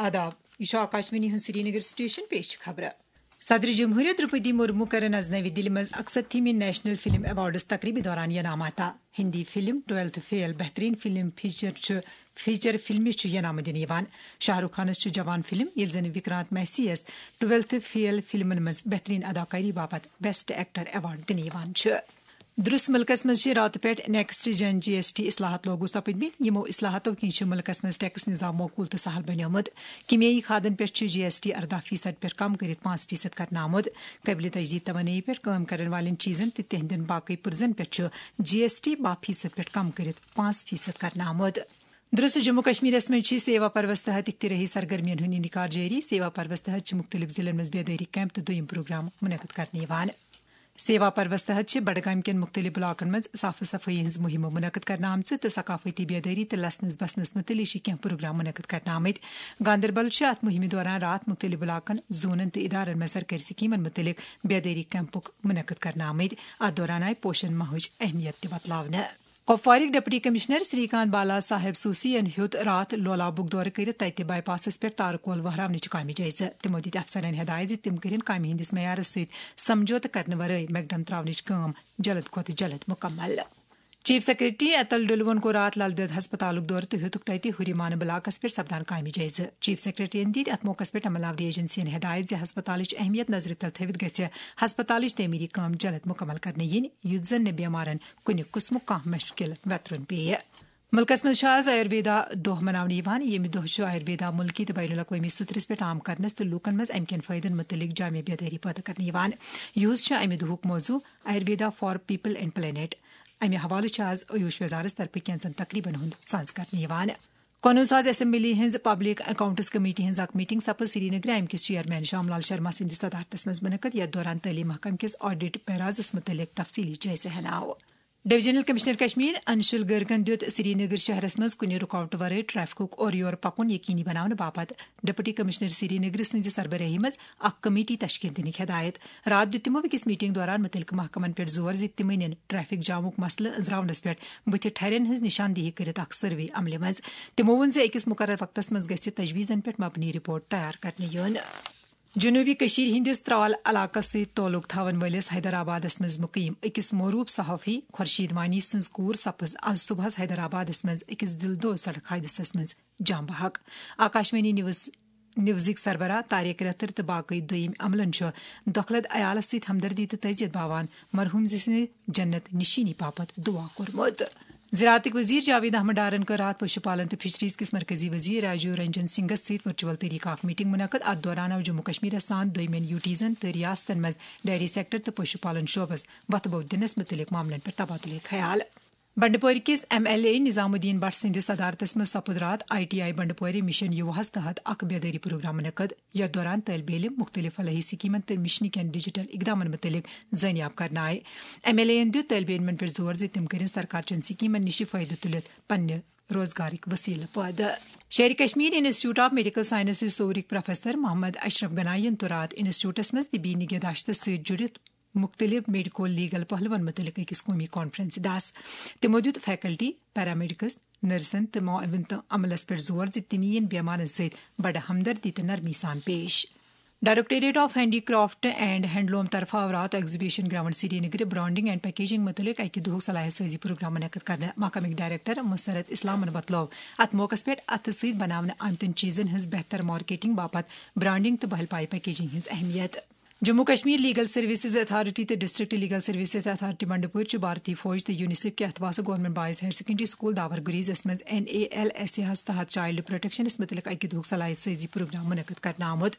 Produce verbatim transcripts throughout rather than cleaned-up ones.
آداب، یہِ چھُ آکاشوانی ہُنٛد سرینگر سٹیشن، پیش چھِ خبرٕ۔ صدر جمہوریہ درپدی مرمو کرن از نوی دِلہِ منٛز اکستتھیمی نیشنل فلم ایوارڈز تقریبہِ دوران ینام عطا۔ ہندی فلم ٹویلتھ فیل بہترین فلم فیچر چھُ فیچر فلمہِ چھُ ینامہٕ دِنہٕ یِوان۔ شاہ رخ خانس چھُ جوان فلم، ییٚلہِ زن وکرانت میسی یس ٹویلتھ فیل فلمن منٛز بہترین اداکاری باپتھ بیسٹ ایکٹر ایوارڈ دِنہٕ یِوان چھُ۔ درس ملکس منٛز چھِ راتہٕ پٮ۪ٹھ نیکسٹ جن جی ایس ٹی اصلاحات لاگو سپدمٕتۍ۔ یِمو اصلاحاتو کِنۍ چھُ ملکس منٛز ٹیکس نظام معقول تہٕ سہل بنیومُت۔ کیمیٲیی کھادن پٮ۪ٹھ چھُ جی ایس ٹی ارداہ فیصد پٮ۪ٹھ کم کٔرِتھ پانٛژھ فیصد کرنہٕ آمُت۔ قٲبلِ تجدید توانٲیی پٮ۪ٹھ کٲم کرن والٮ۪ن چیٖزن تہٕ تِہنٛدٮ۪ن باقٕے پُرزن پٮ۪ٹھ چھُ جی ایس ٹی باہ فیصد پٮ۪ٹھ کم کٔرِتھ پانٛژھ فیصد کرنہٕ آمُت۔ درست جموں کشمیرس منٛز چھِ سیوا پروس تحت اختراعی سرگرمین ہُنٛد انعقاد جٲری۔ سیوا پروس تحت چھِ مختلف ضلعن منٛز بیدٲری کیمپ تہٕ دوٚیِم پروگرام منعقد کرنہٕ یِوان۔ سیوا پروس تحت چھِ بڈگام کٮ۪ن مختلف بلاکن منٛز صاف صفٲیی ہٕنٛز مُہِمہٕ منعقد کرنہٕ آمژٕ تہٕ ثقافتی بیدٲری تہٕ لسنس بسنس مُتعلق چھِ کینٛہہ پروگرام منعقد کرنہٕ آمٕتۍ۔ گاندربل چھِ اتھ مُہِمہِ دوران راتھ مختلف بلاکن، زونن تہٕ ادارن منٛز سرکٲرۍ سکیمن مُتعلق بیدٲری کیمپُک منعقد کرنہٕ آمٕتۍ۔ اتھ دوران آیہِ پوشن ماہٕچ اہمیت تہِ بتلاونہٕ۔ کپوارٕکۍ ڈپٹی کمشنر سری کانت بالا صاحب سوسی ین ہیوٚت راتھ لولابُک دورٕ کٔرِتھ تتہِ بائی پاسس پٮ۪ٹھ تارٕ کول وہراونٕچ کامہِ جٲیزٕ۔ تِمو دِتۍ افسرن ہدایت زِ تِم کٔرِن کامہِ ہٕنٛدِس معیارس سۭتۍ سمجھوتہٕ کرنہٕ ورٲے میکڈم تراونٕچ کٲم جلد کھۄتہٕ جلد مکمل۔ چیف سیکرٹری اتل ڈلوَن کوٚر راتھ لل دٮ۪د ہسپتالُک دورٕ تہٕ ہیوٚتُکھ تتہِ ہُریمانہٕ بلاکس پٮ۪ٹھ سپدان کامہِ جٲیزٕ۔ چیف سیکرٹریَن دِتۍ اتھ موقعس پٮ۪ٹھ عملہ آوری ایجنسیَن ہدایت زِ ہسپتالٕچ اہمیت نظرِ تل تھٲوِتھ گژھِ ہسپتالٕچ تعمیری کٲم جلد مکمل کرنہٕ یِنۍ، یُتھ زن نہٕ بیمارن کُنہِ قٕسمُک کانٛہہ مشکل ویترُن پیٚیہِ۔ مُلکس منٛز چھُ آز آیُرویدا دۄہ مناونہٕ یِوان۔ ییٚمہِ دۄہ چھُ آیُرویدا مُلکی تہٕ بین الاقوٲمی سطرس پٮ۪ٹھ عام کرنس تہٕ لوٗکن منٛز امہِ کٮ۪ن فٲیدن مُتعلق جامع بیدٲری پٲدٕ کرنہٕ یِوان۔ یُہُس چھُ امہِ دۄہُک موضوع Ayurveda for people and planet. امہِ حوالہٕ چھُ آز آیوش وزارت طرفہٕ کینٛژن تقریبن ہُنٛد سانز کرنہٕ یِوان۔ قونوٗن ساز اسمبلی ہٕنٛز پبلک اکاؤنٹس کمیٹی ہٕنٛز اکھ میٹنگ سپٕز سری نگر امہِ کِس چیئرمین شام لال شرما سٕنٛدِس صدارتس منٛز منعقد، یتھ دوران تعلیٖم محکمہٕ کِس آڈٹ پیرازس مُتعلق تفصیٖلی جٲیزٕ ہینہٕ آو۔ ڈویژنل کمشنر کشمیر انشل گرگن دِیُت سری نگر شہرس منٛز کُنہِ رُکاوٹہٕ ورٲے ٹریفکُک اورٕ یور پکُن یقینی بناونہٕ باپتھ ڈپٹی کمشنر سری نگر سٕنٛزِ سربرٲہی منٛز اکھ کمیٹی تشکیل دِنٕکۍ ہدایت۔ راتھ دِیُت تِمو أکِس میٹنگ دوران مُتعلقہٕ محکمن پٮ۪ٹھ زور زِ تِم أنِن ٹریفک جامُک مسلہٕ أنٛزراونس پٮ۪ٹھ بُتھِ ٹھرٮ۪ن ہٕنٛز نشاندہی کٔرِتھ اکھ سروے عملہِ منٛز۔ تِمو ووٚن زِ أکِس مُقرر وقتس منٛز گژھِ تجویزن پٮ۪ٹھ مبنی رپورٹ تیار کرنہٕ یُن۔ جنوبی کشیر ہندس ترال علاقس سۭتۍ تعلق تھاون وٲلِس حیدرآبادس منٛز مقیم أکِس معروف صحافی خورشید وانی سٕنٛز کوٗر سپٕز آز صبحس حیدرآبادس منٛز أکِس دِل دود سڑک حٲدثس منٛز جان بحق۔ آکاشوانی نیوز، نیوزٕکۍ سربراہ طارق رتھر تہٕ باقٕے دوٚیِم عملن چھُ دۄکھلد عیالس سۭتۍ ہمدردی تہٕ تعزیت باوان مرحوم سٕنٛدِ جنت نشینی باپتھ دعا کوٚرمُت۔ زراعتٕکۍ وزیر جاوید احمد ڈارن کٔر راتھ پشو پالن تہٕ فشریز کِس مرکزی وزیر راجیو رنجن سنگھس سۭتۍ ورچوئل طریقہٕ اکھ میٹنگ منعقد۔ اتھ دوران آو جموں کشمیرس سان دویمٮ۪ن یوٹیزن تہٕ ریاستن منٛز ڈیری سیکٹر تہٕ پشو پالن شعبس وۄتھٕ بوٚو دِنس مُتعلق معاملن پٮ۪ٹھ تبادلہ خیال۔ بنڈپورِ کِس ایم ایل اے نظام الدین بٹ سٕنٛدِس صدارتس منٛز سپُد راتھ آئی ٹی آئی بنڈپورِ مشن یوہس تحت اکھ بیدٲری پروگرام منعقد، یتھ دوران طٲلبِ علم، مختلف فلاحی سکیمن تہٕ مشنہٕ کٮ۪ن ڈیجیٹل اقدامن مُتعلق زٲنیاب کرنہٕ آیہِ۔ ایم ایل اے یَن دیُت طٲلبِ علمن پٮ۪ٹھ زور زِ تِم کٔرِن سرکار چٮ۪ن سکیمن نِش فٲیدٕ تُلِتھ پننہِ روزگارٕکۍ وسیلہٕ پٲدٕ۔ Sher Kashmir institute of medical sciences سورٕکۍ پروفیسر محمد اشرف گنایی یَن تُل راتھ انسٹیٹیوٹس منٛز طبی نگہداشتس سۭتۍ جُڑِتھ مُختٔلِف میڈیکو لیگل پہلوَن مُتعلِق أکِس قومی کانفرنسہِ دَس۔ تِمو دیُت فیکلٹی، پیرامیڈیکس، نرسن تہٕ معاون تہٕ عملس پٮ۪ٹھ زور زِ تِم یِن بیمارن سۭتۍ بڑٕ ہمدردی تہٕ نرمی سان پیش۔ Directorate of handy craft and handloom طرفہٕ آو راتھ exhibition ground Sri Nagar branding and packaging مُتعلق اکہِ دۄہُک صلاحیت سٲزی پروگرام منعقد کرنہٕ۔ محکمٕکۍ ڈائریکٹر مسرت اسلامن وۄتلٲو اتھ موقعس پٮ۪ٹھ اتھٕ سۭتۍ بناونہٕ آمتٮ۪ن چیزن ہٕنٛز بہتر مارکیٹنگ باپتھ برانڈنگ تہٕ بہل پائی پیکیجنگ ہٕنٛز اہمیت۔ Jammu Kashmir legal services authority تہٕ district legal services authority Bandipora چھِ بھارتی فوج تہٕ یونیسیف کہِ اتھواسہٕ government boys higher secondary school Dawar گریزس منٛز N A L S A ہس تحت چائلڈ پروٹیکشنس مُتعلق اکہِ دۄہُک صلاحیت سٲزی پروگرام منعقد کرنہٕ آمُت۔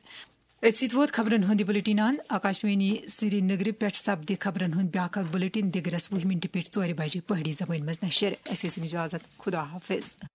أتھۍ سۭتۍ ووت خبرن ہُنٛد یہِ بلیٹن اند۔ آکاشوانی سری نگرٕ پٮ۪ٹھ سپدِ خبرن ہُنٛد بیٛاکھ اکھ بلیٹن دِگرس وُہ منٹہِ پٮ۪ٹھ ژورِ بجہِ پہٲڑی زبٲنۍ منٛز نشر۔ اسہِ ٲسِن اجازت۔ خدا حافظ۔